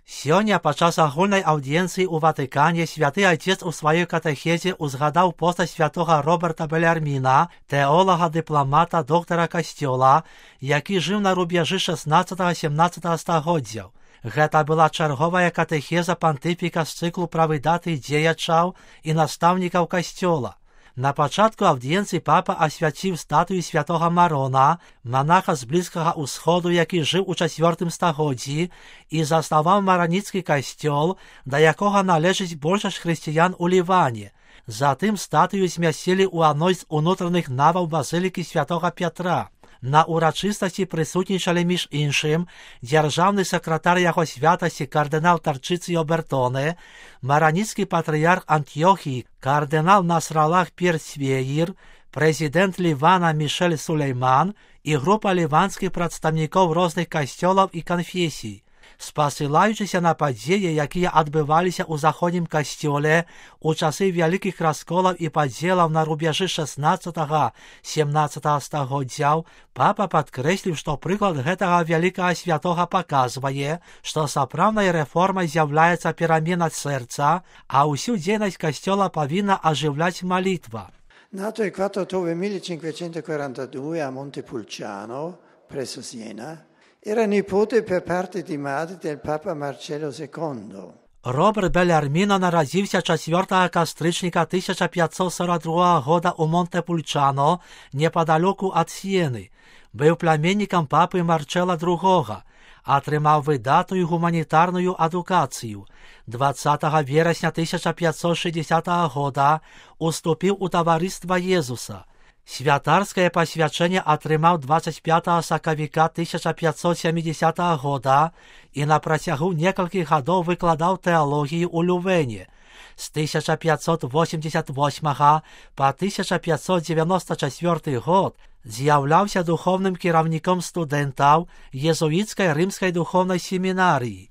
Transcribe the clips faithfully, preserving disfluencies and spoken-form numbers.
Сёння падчас агульнай аўдыенцыі ў Ватыкане святы Айцец у сваёй катэхезе узгадаў постаць святога Роберта Белярміна, тэолага, дыпламата, доктара касцёла, які жыў на рубежы шаснаццатага-сямнаццатага стагоддзяў. Гэта была чарговая катэхеза пантыфіка з цыклу пра выдаты дзеячаў і настаўнікаў касцёла. На пачатку аўдыенцыі папа асвяціў статую святога Марона, манаха з Блізкага ўсходу, які жыў у чацвёртым стагоддзі і заснаваў мараніцкі касцёл, да якога належыць большасць хрысціян у Ліване. Затым статую змясцілі ў адной з унутраных наваў базылікі святога Пятра. На урачыстасці прысутнічалі між іншым дзяржаўны сакратар яго святасці кардынал Тарчыцыё Бертоне, мараніцкі патрыярх Антыёхіі кардынал Насралах Персвеір, прэзідэнт Лівана Мішель Сулейман і група ліванскіх прадстаўнікоў розных касцёлаў і канфесій. Спасылаючыся на падзеі, якія адбываліся ў заходнім касцёле у часы вялікіх расколаў і падзелаў на рубежы шаснаццатага-сямнаццатага стагоддзяў, папа падкрэсліў, што прыклад гэтага вялікага святога паказвае, што сапраўднай рэформай з'яўляецца перамена сэрца, а ўсю дзейнасць касцёла павінна ажыўляць малітва. Nato il quattro ottobre millecinquecentoquarantadue a Montepulciano, presso Siena, era nipote per parte di madre del Papa Marcello secondo. Роберт Белярміно нарадзіўся чацвёртага кастрычніка тысяча пятьсот сорок другога года ў Монтепульчано, непадалёку ад Сіены. Быў пляменнікам папы Марчэла другога. Атрымаў выдатную гуманітарную адукацыю. дваццатага верасня тысяча пятьсот шестидесятого года уступіў у таварыства Езуса. Святарскае пасвячэнне атрымаў дваццаць пятага сакавіка тысяча пятьсот семидесятого года і на працягу некалькіх гадоў выкладаў тэалогію ў Лювене. З тысяча пятьсот восемьдесят восьмага па тысяча пятьсот девяносто четвёрты год з'яўляўся духовным кіраўніком студэнтаў езуіцкай рымскай духовнай семінарыі.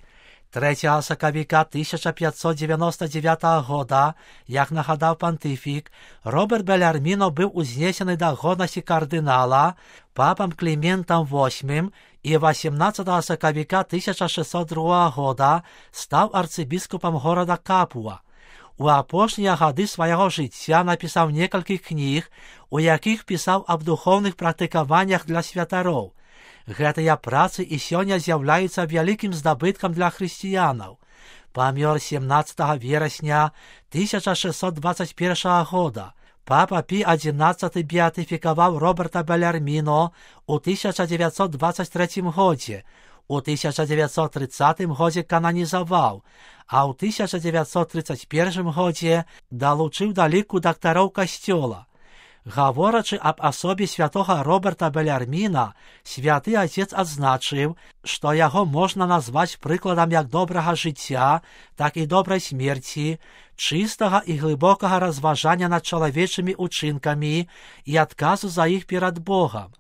трэцяга сакавіка тысяча пятьсот девяносто девятого года, як нагадаў пантыфік, Роберт Белярміно быў узнесены да годнасці кардынала папам Кліментам восьмым і восемнадцатага сакавіка тысяча шестьсот другога года стаў арцыбіскупам горада Капуа. У апошнія гады свайго жыцця напісаў некалькі кніг, у якіх пісаў аб духоўных практыкаваннях для святароў. Гэтыя працы і сёння з'яўляюцца вялікім здабыткам для хрысціянаў. Памёр семнаццатага верасня тысяча шестьсот двадцать первого года. Папа Пі адзінаццаты беатыфікаваў Роберта Белярміно ў тысяча девятьсот двадцать третьем годзе. У тысяча девятьсот тридцатым годзе кананізаваў, а ў тысяча девятьсот тридцать первым годзе далучыў да ліку дактароў касцёла. Гаворачы аб асобе святога Роберта Белярміна, святы Айцец адзначыў, што яго можна назваць прыкладам як добрага жыцця, так і добрай смерці, чыстага і глыбокага разважання над чалавечымі учынкамі і адказу за іх перад Богам.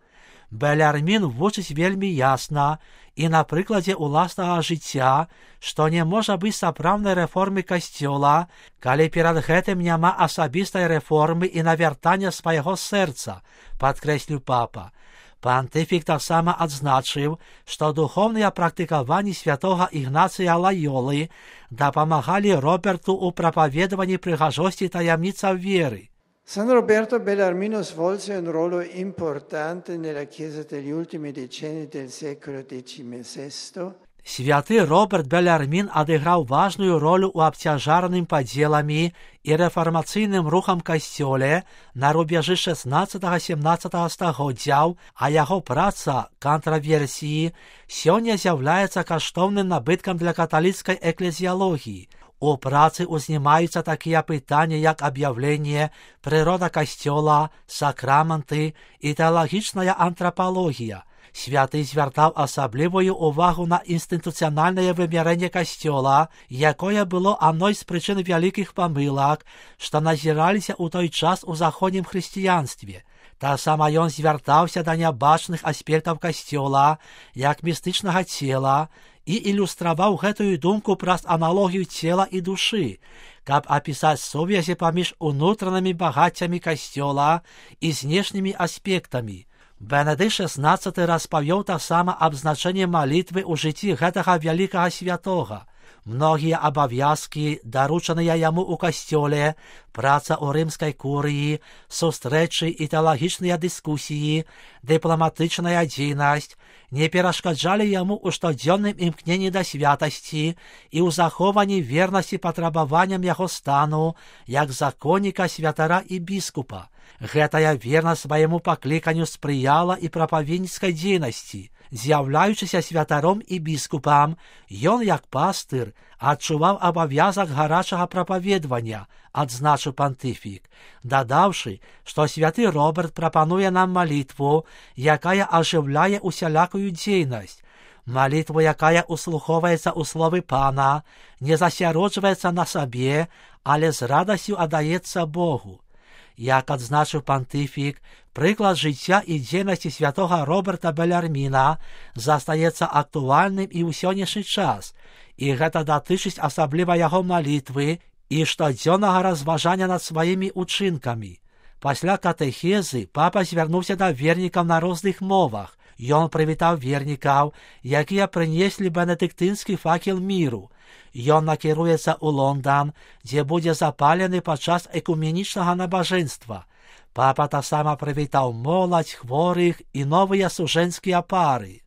Белярмін вучыць вельмі ясна і на прыкладзе ўласнага жыцця, што не можа быць сапраўднай рэформы касцёла, калі перад гэтым няма асабістай рэформы і навяртання свайго сэрца, падкрэсліў папа. Пантыфік таксама адзначыў, што духоўныя практыкаванні святога Ігнацыя Лайолы дапамагалі Роберту ў прапаведаванні прыгажосці таямніцаў веры. San Roberto Bellarmino svolse un ruolo importante nella Chiesa degli ultimi decenni del secolo diciassette. Святы Роберт Белярмін адыграў важную ролю ў абцяжараным падзеламі і рэфармацыйным рухам касцёле на рубежы шаснаццатага-сямнаццатага стагоддзяў, а яго праца «Контраверсіі» сёння з'яўляецца каштоўным набыткам для каталіцкай эклезіялогіі. У працы ўзнімаюцца такія пытанні, як аб'яўленне, прырода касцёла, сакраманты і тэалагічная антрапалогія. Святы звяртаў асаблівую ўвагу на інстытуцыянальнае вымярэнне касцёла, якое было адной з прычын вялікіх памылак, што назіраліся ў той час у заходнім хрысціянстве. Таксама ён звяртаўся да нябачных аспектаў касцёла, як містычнага цела, і ілюстраваў гэтую думку праз аналогію цела і душы, каб апісаць сувязі паміж унутранымі багаццямі касцёла і знешнімі аспектамі. Бенедыкт шаснаццаты распавёў таксама аб значэнні малітвы ў жыцці гэтага вялікага святога. Многие обовязки, дарученные ему у костеле, праца у римской курии, зустрічі і теологічні дискусії, дипломатичная дійність, не перешкоджали ему у штоденном імкненні до святості і у захованні вірності потребуванням його стану, як законника, святара і біскупа. Гэтая вірність своєму покликанню сприяла і проповідницькій дійності. З'являючися святаром і біскупом, ён, як пастир, адчував обов'язок гарячого проповідування, адзначив понтифік, додавши, що святий Роберт пропонує нам молитву, якая оживляє усялякую дійність, молитву, якая услуховується у слові Пана, не засяроджується на собі, але з радостю отдається Богу. Як адзначив понтифік, приклад життя і дійності святого Роберта Белярміна застається актуальним і у сьогоднішній час, і гэта датычыць асабліва яго молитвы і штодзённага разважання над сваімі учынкамі. Пасля катэхезы папа звярнуўся да вернікаў на розных мовах. Ён прывітаў вернікаў, якія прынеслі бенедыктынскі факел міру. Ён накіруецца ў Лондан, дзе будзе запалены падчас экуменічнага набажэнства. Папа таксама прывітаў моладзь, хворых і новыя сужэнскія пары.